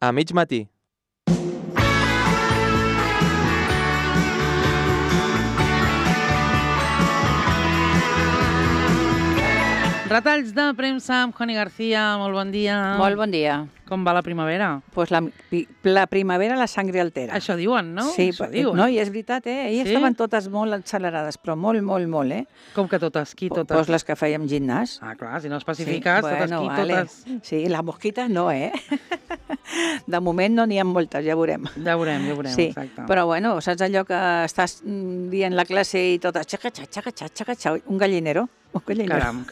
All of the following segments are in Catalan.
A mig matí. Retalls de premsa amb Juani García, molt bon dia. Molt bon dia. Com va la primavera? Pues la primavera la sangre altera. Això diuen, no? Sí, Això diuen. no, i és veritat, Ahir estaven totes molt accelerades, però molt, molt. Com que totes? Qui totes? Pues les que fèiem gimnàs. Ah, clar, si no especifiques, Sí, totes qui, totes... Sí, la mosquita no, De moment no n'hi ha moltes, ja veurem. Ja veurem, Sí, exacte. però bueno, saps allò que estàs dient la classe i totes xaca, un gallinero. Caram.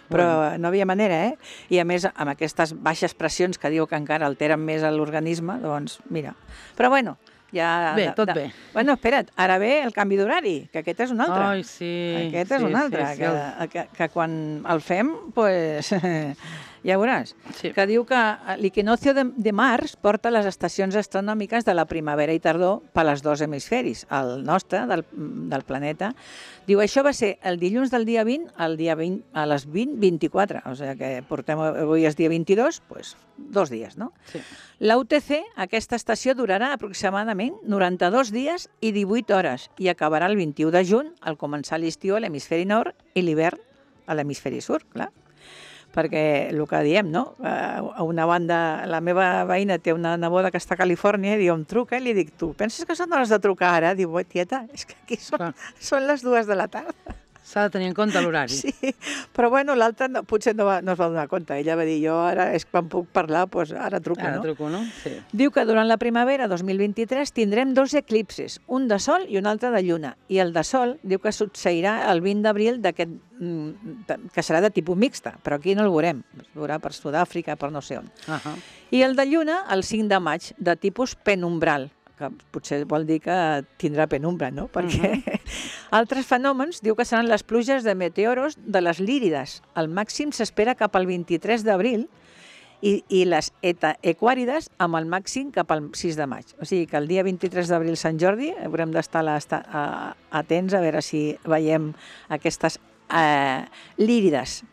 Però no havia manera, I a més, amb aquestes baixes pressions que diu que encara alteren més l'organisme, doncs mira. Però bueno, ja... Bé, tot bé. Bueno, espera't, ara ve el canvi d'horari, que aquest és un altre. Ai, sí. Aquest és un altre, que quan el fem, pues... Ja veuràs. Sí. Que diu que l'equinoccio de març porta les estacions astronòmiques de la primavera i tardor per als dos hemisferis, el nostre, del planeta. Diu, això va ser el dilluns del dia 20 al dia 20, a les 20:24, o sigui que portem, avui és dia 22, doncs 2 dies, no? Sí. La UTC, aquesta estació, durarà aproximadament 92 dies i 18 hores i acabarà el 21 de juny, al començar l'estiu a l'hemisferi nord i l'hivern a l'hemisferi sud, clar. Perquè el que diem, no? A una banda, la meva veïna té una neboda que està a Califòrnia i diu, em truca i li dic, tu penses que són hores de trucar ara? Diu, tieta, és que aquí són les 2 de la tarda. S'ha de tenir en compte l'horari. Sí, però bueno, l'altra potser no es va donar compte. Ella va dir, jo ara és quan puc parlar, doncs ara truco, no? Ara truco, no? Sí. Diu que durant la primavera 2023 tindrem 2 eclipsis, un de sol i un altre de lluna. I el de sol diu que succeirà el 20 d'abril d'aquest que serà de tipus mixta, però aquí no el veurem. Es veurà per Sud-àfrica, per no sé on. I el de lluna, el 5 de maig, de tipus penumbral, que potser vol dir que tindrà penumbra, no? Perquè altres fenòmens diu que seran les pluges de meteoros de les lírides. El màxim s'espera cap al 23 d'abril i les equàrides amb el màxim cap al 6 de maig. O sigui que el dia 23 d'abril, Sant Jordi, haurem d'estar atents a veure si veiem aquestes lírides.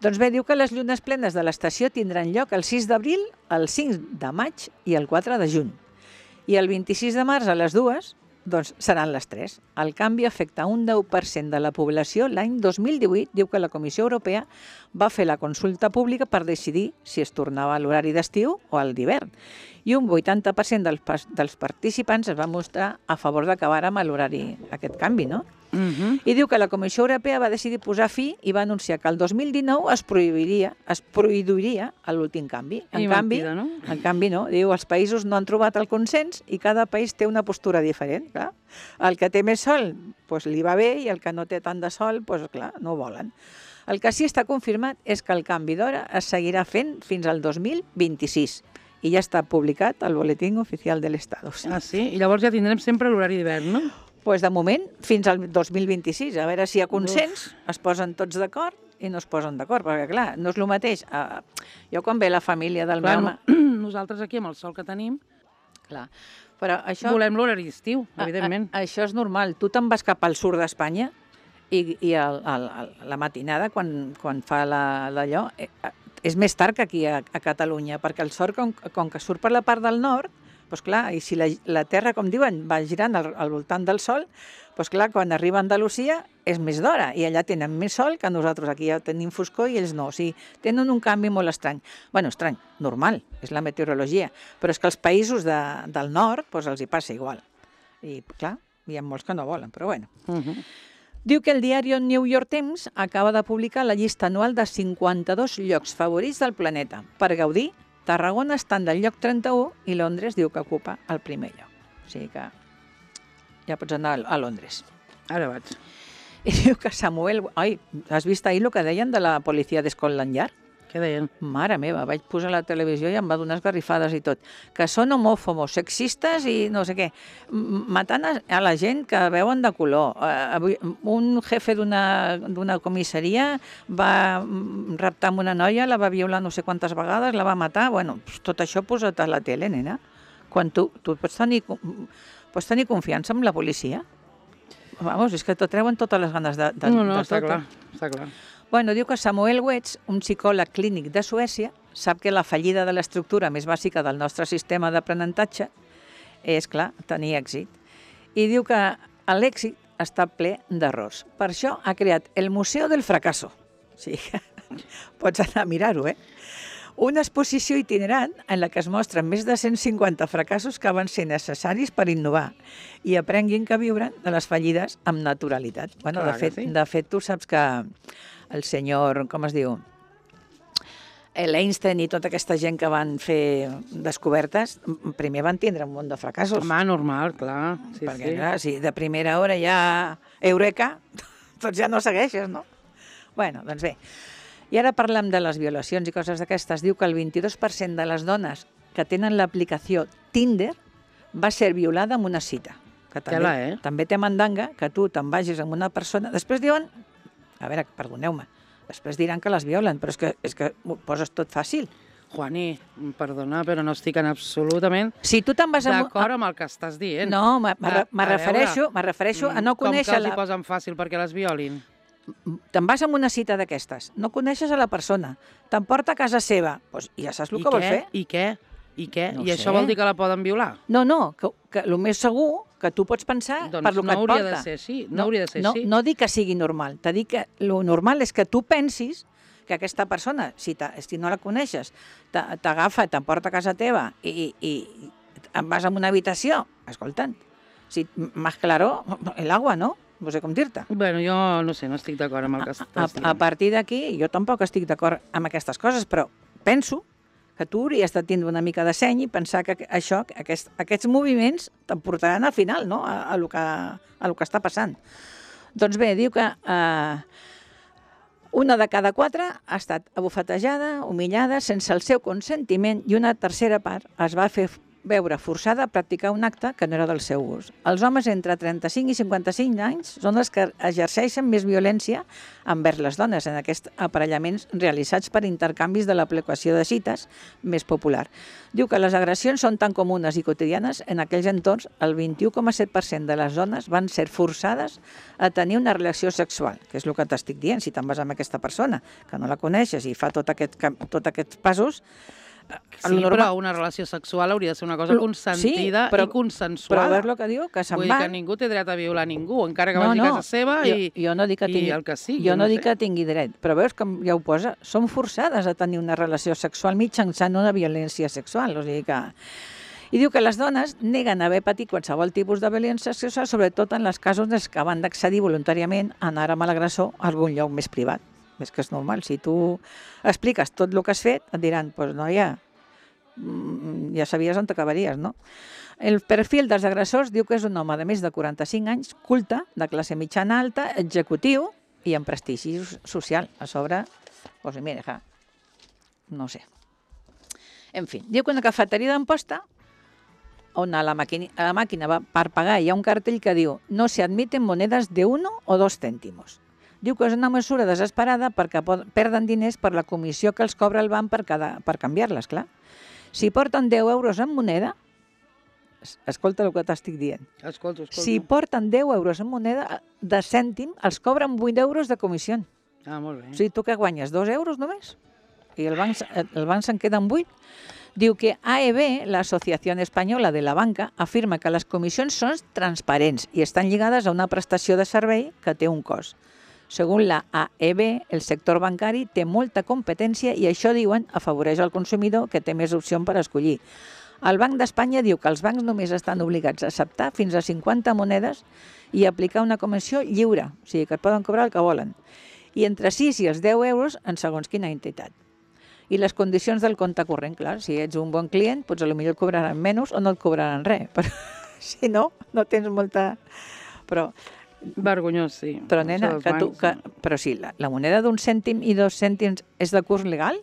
Doncs bé, diu que les llunes plenes de l'estació tindran lloc el 6 d'abril, el 5 de maig i el 4 de juny. I el 26 de març a les 2, doncs seran les 3. El canvi afecta un 10% de la població. L'any 2018 diu que la Comissió Europea va fer la consulta pública per decidir si es tornava a l'horari d'estiu o al d'hivern. I un 80% dels participants es va mostrar a favor d'acabar amb l'horari, aquest canvi, no? I diu que la Comissió Europea va decidir posar fi i va anunciar que el 2019 es prohibiria l'últim canvi. En canvi, no. Diu, els països no han trobat el consens i cada país té una postura diferent. Clar. El que té més sol, doncs li va bé, i el que no té tant de sol, doncs clar, no ho volen. El que sí està confirmat és que el canvi d'hora es seguirà fent fins al 2026. I ja està publicat al Boletín Oficial de l'Estado. Ah, sí? I llavors ja tindrem sempre l'horari d'hivern, no? Doncs de moment, fins al 2026, a veure si hi ha consens, es posen tots d'acord i no es posen d'acord, perquè clar, no és el mateix. Jo quan ve la família del meu... Nosaltres aquí amb el sol que tenim, clar, però això... volem l'horari d'estiu, evidentment. Això és normal. Tu te'n vas cap al sud d'Espanya i la matinada, quan fa d'allò, és més tard que aquí a Catalunya, perquè el sol, com que surt per la part del nord, doncs clar, i si la Terra, com diuen, va girant al voltant del Sol, doncs clar, quan arriba a Andalusia és més d'hora, i allà tenen més sol que nosaltres, aquí ja tenim foscor i ells no. O sigui, tenen un canvi molt estrany. Bueno, estrany, normal, és la meteorologia, però és que els països del nord doncs els hi passa igual. I clar, hi ha molts que no volen, però bueno. Diu que el diari New York Times acaba de publicar la llista anual de 52 llocs favorits del planeta per gaudir. Tarragona està en el lloc 31 i Londres diu que ocupa el primer lloc. O sigui que ja pots anar a Londres. Ara vaig. I diu que Samuel... Ai, has vist ahir el que deien de la policia de Scotland Yard? Què deien? Mare meva, vaig posar la televisió i em va donar esgarrifades i tot. Que són homòfobos, sexistes i no sé què. Matant a la gent que veuen de color. Un jefe d'una comissaria va raptar amb una noia, la va violar no sé quantes vegades, la va matar. Bueno, tot això posat a la tele, nena. Quan tu pots tenir confiança en la policia? Vamos, és que t'ho treuen totes les ganes de No, està clar, està clar. Bueno, diu que Samuel Wetz, un psicòleg clínic de Suècia, sap que la fallida de l'estructura més bàsica del nostre sistema d'aprenentatge és, clar, tenir èxit. I diu que l'èxit està ple d'errors. Per això ha creat el Museu del Fracasso. O sigui que pots anar a mirar-ho, Una exposició itinerant en la que es mostren més de 150 fracassos que van ser necessaris per innovar i aprenguin que viure de les fallides amb naturalitat. Bueno, de fet, tu saps que el senyor, com es diu, l'Einstein i tota aquesta gent que van fer descobertes, primer van tindre un munt de fracassos. Home, normal, clar. Sí, perquè, clar, si de primera hora ja eureka, doncs ja no segueixes, no? Bueno, doncs bé. I ara parlem de les violacions i coses d'aquestes. Diu que el 22% de les dones que tenen l'aplicació Tinder va ser violada amb una cita. Que també té mandanga que tu te'n vagis amb una persona. Després diuen, a veure, perdoneu-me, després diran que les violen, però és que ho poses tot fàcil. Juani, perdona, però no estic en absolutament d'acord amb el que estàs dient. No, me refereixo a no conèixer... Com que els hi posen fàcil perquè les violin? Te'n vas amb una cita d'aquestes, no coneixes a la persona, t'emporta a casa seva, doncs ja saps el que vol fer. I què? No I això vol dir que la poden violar? No, que el més segur que tu pots pensar per lo que et porta. Doncs no hauria de ser així, no hauria de ser així. No dic que sigui normal, t'he dit que el normal és que tu pensis que aquesta persona, si no la coneixes, t'agafa, t'emporta a casa teva i em vas a una habitació, escolta'm, más claro el agua, no? No sé com dir-te. Bueno, jo no sé, no estic d'acord amb el que estàs dient. A partir d'aquí, jo tampoc estic d'acord amb aquestes coses, però penso que tu hauries de tindre una mica de seny i pensar que aquests moviments te'n portaran al final, no?, a lo que està passant. Doncs bé, diu que una de cada 4 ha estat abofetejada, humillada, sense el seu consentiment, i una tercera part es va fer veure forçada a practicar un acte que no era del seu gust. Els homes entre 35 i 55 anys són els que exerceixen més violència envers les dones en aquests aparellaments realitzats per intercanvis de l'aplicació de cites més popular. Diu que les agressions són tan comunes i quotidianes en aquells entorns, el 21,7% de les dones van ser forçades a tenir una relació sexual, que és el que t'estic dient, si te'n vas amb aquesta persona, que no la coneixes i fa tots aquests passos. Sí, però una relació sexual hauria de ser una cosa consentida i consensuada. Però a veure el que diu, que se'n van... Vull dir que ningú té dret a violar ningú, encara que vagi a casa seva i el que sigui. Jo no dic que tingui dret, però veus que ja ho posa, són forçades a tenir una relació sexual mitjançant una violència sexual, o sigui que... I diu que les dones neguen haver patit qualsevol tipus de violència sexual, sobretot en els casos en que van d'accedir voluntàriament a anar amb l'agressor a algun lloc més privat. És que és normal, si tu expliques tot el que has fet, et diran, doncs noia, ja sabies on t'acabaries, no? El perfil dels agressors diu que és un home de més de 45 anys, culte, de classe mitjana alta, executiu i amb prestigi social. A sobre, doncs mira, no sé. En fi, diu que una cafeteria d'Amposta, on a la màquina per pagar hi ha un cartell que diu no se admiten monedas de 1 o 2 cèntimos. Diu que és una mesura desesperada perquè perden diners per la comissió que els cobra el banc per canviar-les, clar. Si porten 10 euros en moneda, escolta el que t'estic dient. Escolta. Si porten 10 euros en moneda de cèntim, els cobren 8 euros de comissió. Ah, molt bé. O sigui, tu que guanyes 2 euros només? I el banc se'n queda amb 8. Diu que AEB, la Asociación Española de la Banca, afirma que les comissions són transparents i estan lligades a una prestació de servei que té un cost. Segons la AEB, el sector bancari té molta competència i això, diuen, afavoreix el consumidor que té més opció per escollir. El Banc d'Espanya diu que els bancs només estan obligats a acceptar fins a 50 monedes i aplicar una comissió lliure, o sigui que et poden cobrar el que volen, i entre 6 i els 10 euros en segons quina entitat. I les condicions del compte corrent, clar, si ets un bon client, potser potser et cobraran menys o no et cobraran res, però si no, no tens molta... Però vergonyós, sí. Però, nena, però sí, la moneda d'1 cèntim i 2 cèntims és de curs legal?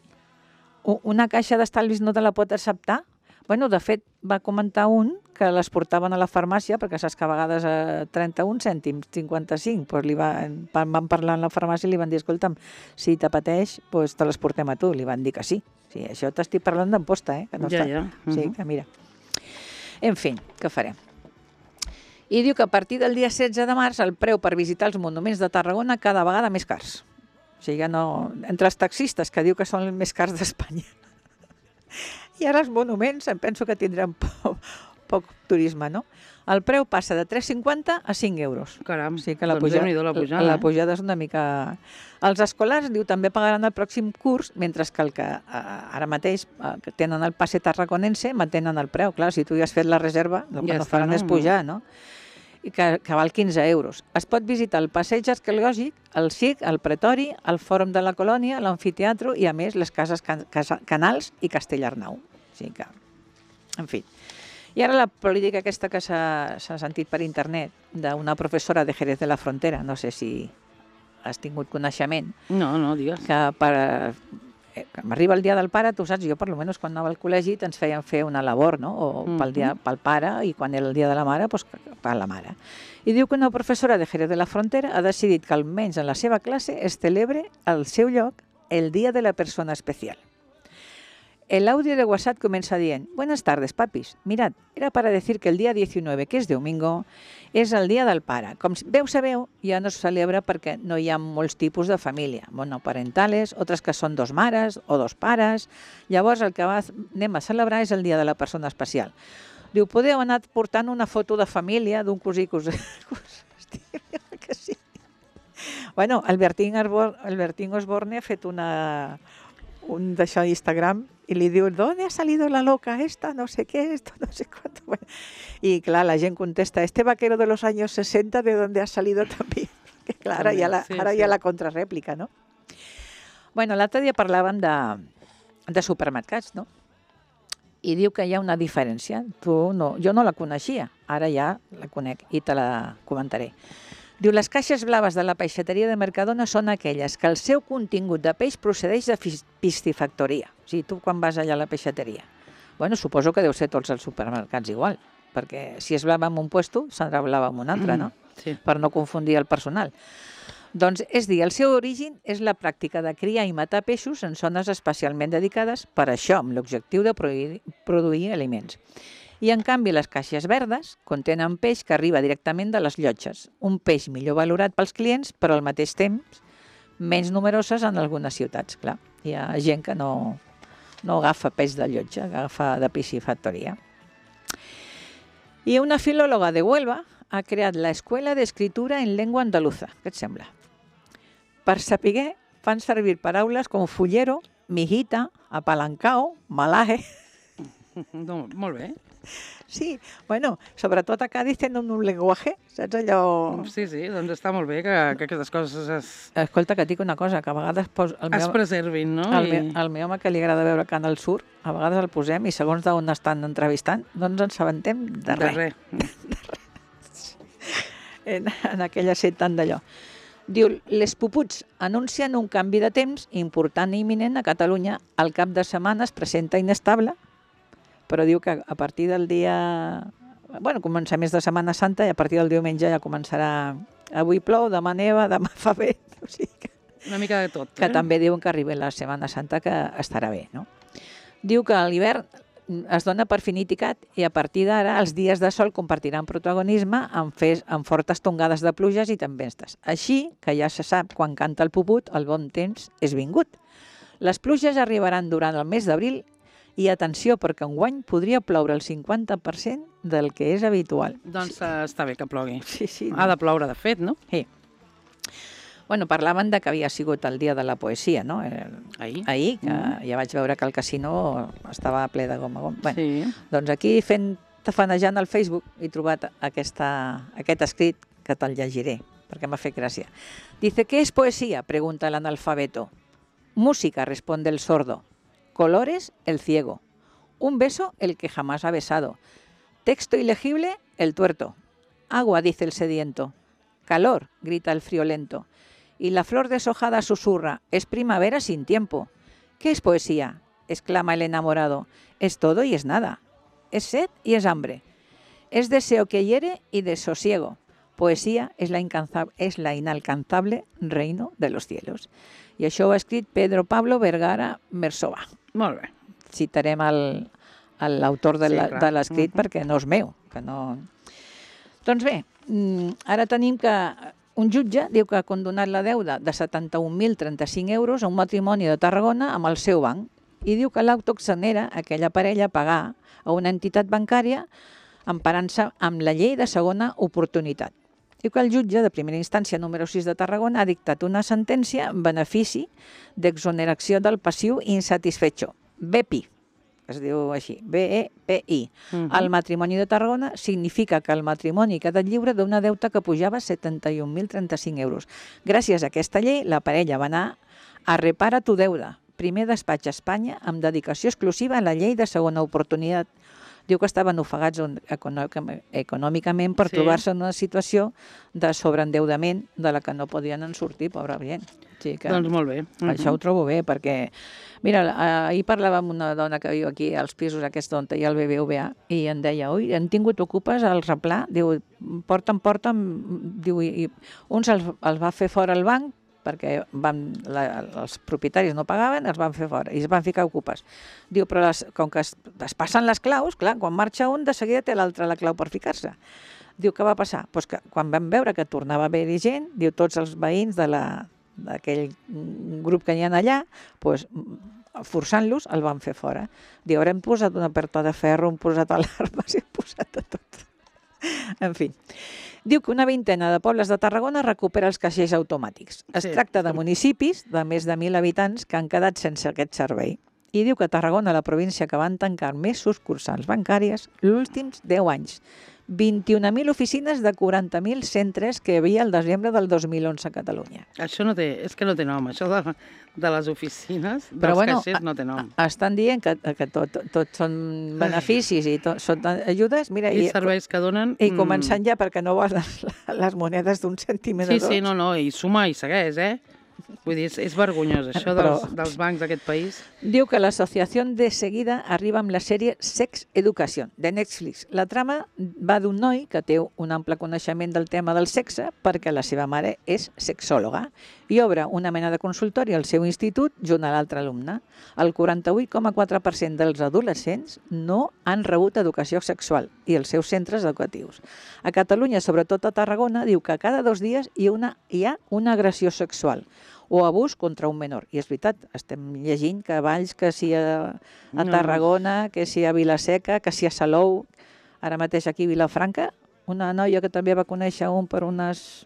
Una caixa d'estalvis no te la pot acceptar? Bueno, de fet, va comentar un que les portaven a la farmàcia, perquè saps que a vegades a 31 cèntims, 55, doncs van parlar a la farmàcia i li van dir, escolta'm, si t'apeteix, doncs te les portem a tu. Li van dir que sí. Sí, això t'estic parlant d'Amposta, que no està. Ja. Sí, que mira. En fi, què farem? I diu que a partir del dia 16 de març el preu per visitar els monuments de Tarragona cada vegada més cars. O sigui, entre els taxistes, que diu que són els més cars d'Espanya, I ara els monuments em penso que tindran poc turisme, no? El preu passa de 3,50 a 5 euros. Caram, O sigui que la doncs pujada, Déu-n'hi-do la pujada, la pujada és una mica... Els escolars, diu, també pagaran el pròxim curs, mentre que el que ara mateix que tenen el passe tarraconense mantenen el preu. Clar, si tu ja has fet la reserva, el que Ja no està, faran no? és pujar, no? I que val 15 euros. Es pot visitar el passeig arqueològic, el SIC, el Pretori, el Fòrum de la Colònia, l'Amfiteatre i, a més, les cases Canals i Castellarnau. O sigui que, en fi. I ara la política aquesta que s'ha sentit per internet d'una professora de Jerez de la Frontera, no sé si has tingut coneixement, No, digues. que m'arriba el dia del pare, tu saps, jo per almenys quan anava al col·legi ens feien fer una labor, no? O pel pare, i quan era el dia de la mare, doncs per la mare. I diu que una professora de Jerez de la Frontera ha decidit que almenys en la seva classe es celebre al seu lloc el Dia de la Persona Especial. El audio de WhatsApp comienza dient: Buenas tardes, papis. Mirad, era para decir que el día 19, que és domingo, és el dia del pare. Com sabeu, ja no es celebra perquè no hi ha molts tipus de família, monoparentales, altres que són dos mares o dos pares. Llavors el que anem a celebrar és el dia de la persona especial. Diu, podeu anar portant una foto de família d'un cosí que que sí. Bueno, el Bertín Osborne ha fet un d'això d'Instagram i li diu, ¿dónde ha salido la loca esta? No sé qué, esto, no sé cuánto. Bueno, y claro, la gent contesta, este vaquero de los años 60, ¿de dónde ha salido también? Que clar, ara hi ha la contrarèplica, no? Bueno, l'altre dia parlàvem de supermercats, no? I diu que hi ha una diferència. Jo no la coneixia, ara ja la conec i te la comentaré. Diu, les caixes blaves de la peixateria de Mercadona són aquelles que el seu contingut de peix procedeix de piscifactoria. O sigui, tu quan vas allà a la peixateria. Bueno, suposo que deu ser tots els supermercats igual, perquè si és blava en un puesto, serà blava en un altre, no? Sí. Per no confundir el personal. Doncs, és dir, el seu origen és la pràctica de criar i matar peixos en zones especialment dedicades per això, amb l'objectiu de produir aliments. I, en canvi, les caixes verdes contenen peix que arriba directament de les llotges, un peix millor valorat pels clients, però al mateix temps menys numeroses en algunes ciutats. Clar, hi ha gent que no agafa peix de llotja, agafa de piscifactoria. I una filòloga de Huelva ha creat l'Escuela d'Escritura en Llengua Andaluza. Què et sembla? Per saber, fan servir paraules com fullero, mijita, apalancao, malaje. No, molt bé. Sí, bueno, sobretot a Cádiz tenen un llenguatge, saps allò... Sí, doncs està molt bé que aquestes coses Escolta, que et dic una cosa, que a vegades... es preservin, no? Al meu home que li agrada veure Canal Sur, a vegades el posem i segons d'on estan entrevistant no ens en sabentem de res. En aquella set tant d'allò. Diu, les puputs anuncien un canvi de temps important i imminent a Catalunya. El cap de setmana es presenta inestable, però diu que a partir del dia... Bueno, comença més de Setmana Santa i a partir del diumenge ja començarà... Avui plou, demà neva, demà fa bé. O sigui que... Una mica de tot. Que també diuen que arriba la Setmana Santa que estarà bé, no? Diu que a l'hivern es dona per finiquitat i a partir d'ara els dies de sol compartiran protagonisme amb fortes tongades de pluges i tempestes. Així que ja se sap, quan canta el puput, el bon temps és vingut. Les pluges arribaran durant el mes d'abril i atenció, perquè enguany podria ploure el 50% del que és habitual. Doncs està bé que plogui. Sí. Ha de ploure, de fet, no? Sí. Bueno, parlaven de que havia sigut el dia de la poesia, no? Ahir, que ja vaig veure que el casino estava ple de gom a gom. Bueno, Sí. doncs aquí, tafanejant al Facebook, he trobat aquest escrit que te'l llegiré, perquè m'ha fet gràcia. Dice, ¿qué es poesía?, pregunta el analfabeto. Música, responde el sordo. Colores, el ciego. Un beso, el que jamás ha besado. Texto ilegible, el tuerto. Agua, dice el sediento. Calor, grita el friolento. Y la flor deshojada susurra, es primavera sin tiempo. ¿Qué es poesía?, exclama el enamorado. Es todo y es nada. Es sed y es hambre. Es deseo que hiere y desosiego. Poesía es la inalcanzable reino de los cielos. I això ho ha escrit Pedro Pablo Vergara Mersova. Molt bé. Citarem l'autor de l'escrit perquè no és meu. Doncs bé, ara tenim que un jutge diu que ha condonat la deuda de 71.035 euros a un matrimoni de Tarragona amb el seu banc i diu que l'auto exonera aquella parella a pagar a una entitat bancària emparant-se amb la llei de segona oportunitat. Diu que el jutge de primera instància número 6 de Tarragona ha dictat una sentència en benefici d'exoneració del passiu insatisfecho, BEPI, es diu així, BEPI. El matrimoni de Tarragona significa que el matrimoni ha quedat lliure d'una deuta que pujava 71.035 euros. Gràcies a aquesta llei, la parella va anar a repara tu deuda, primer despatx a Espanya amb dedicació exclusiva a la llei de segona oportunitat. Diu que estaven ofegats econòmicament per trobar-se en una situació de sobreendeudament de la que no podien en sortir, pobra gent. Doncs molt bé. Això ho trobo bé, perquè... Mira, ahir parlava amb una dona que viu aquí als pisos aquests on hi ha el BBVA i em deia, ui, han tingut ocupes al replà, diu, porten, diu, i uns els va fer fora el banc perquè els propietaris no pagaven, els van fer fora i es van ficar ocupes. Diu, però com que es passen les claus, clar, quan marxa un, de seguida té l'altre la clau per ficar-se. Diu, què va passar? Pues que quan vam veure que tornava a haver-hi gent, diu, tots els veïns d'aquell grup que hi ha allà, pues, forçant-los, el van fer fora. Diu, ara hem posat una porta de ferro, hem posat alarmes, hem posat de tot. En fi. Diu que una vintena de pobles de Tarragona recupera els caixers automàtics. Es tracta de municipis de més de 1.000 habitants que han quedat sense aquest servei. I diu que Tarragona, la província que van tancar més sucursals bancàries els últims 10 anys. 21.000 oficines de 40.000 centres que hi havia el desembre del 2011 a Catalunya. Això no té, és que no té nom, això de les oficines, dels caixers no té nom. Estan dient que tot són beneficis i tot són ajudes. Mira, I serveis que donen... I començant ja perquè no vols les monedes d'un cèntim de dos. Sí, no, i suma i segueix, Vull dir, és vergonyós, això dels bancs d'aquest país. Diu que l'Associació de seguida arriba amb la sèrie Sex Education, de Netflix. La trama va d'un noi que té un ample coneixement del tema del sexe perquè la seva mare és sexòloga i obre una mena de consultori al seu institut junt a l'altre alumne. El 48,4% dels adolescents no han rebut educació sexual i els seus centres educatius. A Catalunya, sobretot a Tarragona, diu que cada 2 dies hi ha una agressió sexual o abús contra un menor. I és veritat, estem llegint que a Valls, que si a Tarragona, que si a Vilaseca, que si a Salou, ara mateix aquí a Vilafranca, una noia que també va conèixer un per unes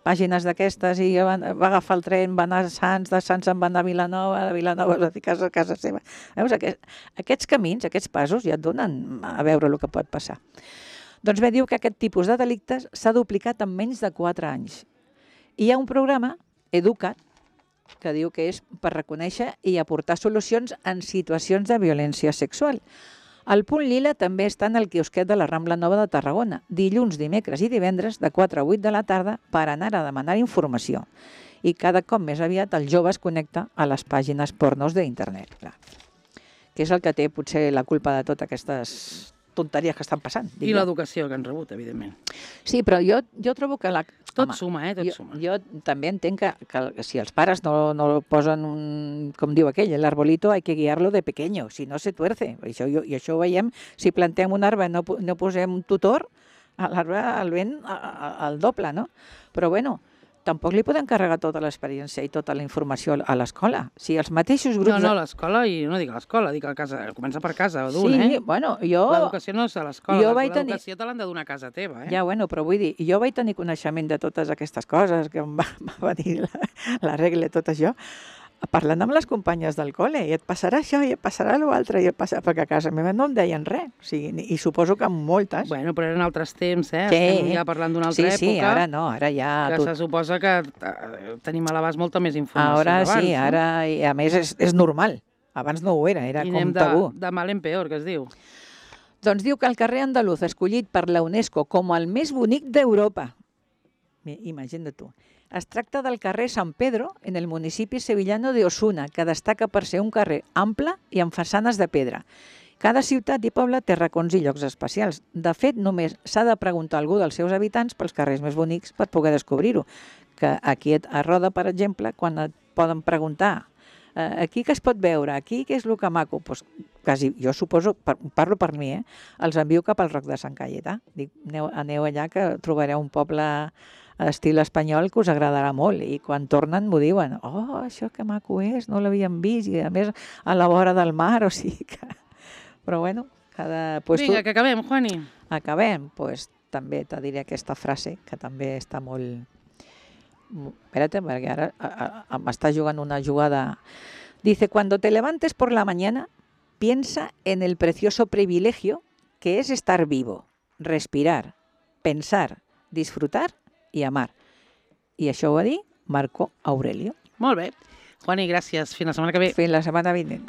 pàgines d'aquestes i va agafar el tren, va anar a Sants, de Sants en va anar a Vilanova, de Vilanova va ficar a casa seva. Veus, aquests camins, aquests passos ja et donen a veure el que pot passar. Doncs bé, diu que aquest tipus de delictes s'ha duplicat en menys de 4 anys. I hi ha un programa, Educa't, que diu que és per reconèixer i aportar solucions en situacions de violència sexual. El Punt Lila també està en el quiosquet de la Rambla Nova de Tarragona, dilluns, dimecres i divendres de 4 a 8 de la tarda per anar a demanar informació. I cada cop més aviat el jove es connecta a les pàgines pornos d'internet, que és el que té potser la culpa de totes aquestes tonteries que estan passant. I l'educació que han rebut, evidentment. Sí, però jo trobo que tot suma, tot suma. Jo també entenc que si els pares no posen, com diu aquell, l'arbolito hay que guiarlo de pequeño, si no se tuerce. I això ho veiem, si plantem un arbre no posem un tutor, l'arbre el vent al doble, no? Però bueno, tampoc li poden carregar tota l'experiència i tota la informació a l'escola. Si els mateixos grups... No, l'escola, i no dic a l'escola, dic a casa, comença per casa d'un, Sí, bueno, jo... L'educació no és a l'escola, l'educació te l'han de donar a casa teva, Ja, bueno, però vull dir, jo vaig tenir coneixement de totes aquestes coses que em va dir la regla i tot això, parlant amb les companyes del col·le, i et passarà això, i et passarà l'altre, perquè a casa meva no em deien res, o sigui, i suposo que amb moltes. Bueno, però eren altres temps, estem ja parlant d'una altra època. Sí, ara no, ara ja... Que se suposa que tenim a l'abast molta més informació d'abans. Sí, ara, i a més és normal, abans no ho era com tabú. De mal en peor, que es diu. Doncs diu que el carrer andaluz, escollit per la UNESCO com el més bonic d'Europa, imagina't tu, es tracta del carrer San Pedro, en el municipi sevillano de Osuna, que destaca per ser un carrer ample i amb façanes de pedra. Cada ciutat i poble té racons i llocs especials. De fet, només s'ha de preguntar a algú dels seus habitants pels carrers més bonics per poder descobrir-ho. Que aquí a Roda, per exemple, quan et poden preguntar aquí què es pot veure, aquí què és el que maco, doncs quasi, jo suposo, parlo per mi, els envio cap al Roc de Sant Caietà. Dic, aneu allà que trobareu un poble estil espanyol que us agradarà molt i quan tornen m'ho diuen, oh, això que maco és, no l'havíem vist i a més a la vora del mar, o sigui que... Però bueno, Vinga, que acabem, Juani. Acabem, doncs també te diré aquesta frase que també està molt... Espérate, perquè ara m'està jugant una jugada. Dice, cuando te levantes por la mañana, piensa en el precioso privilegio que es estar vivo, respirar, pensar, disfrutar y amar. I això ho va dir Marco Aurelio. Molt bé. Juani, gràcies. Fins la setmana que ve. Fins la setmana vinent.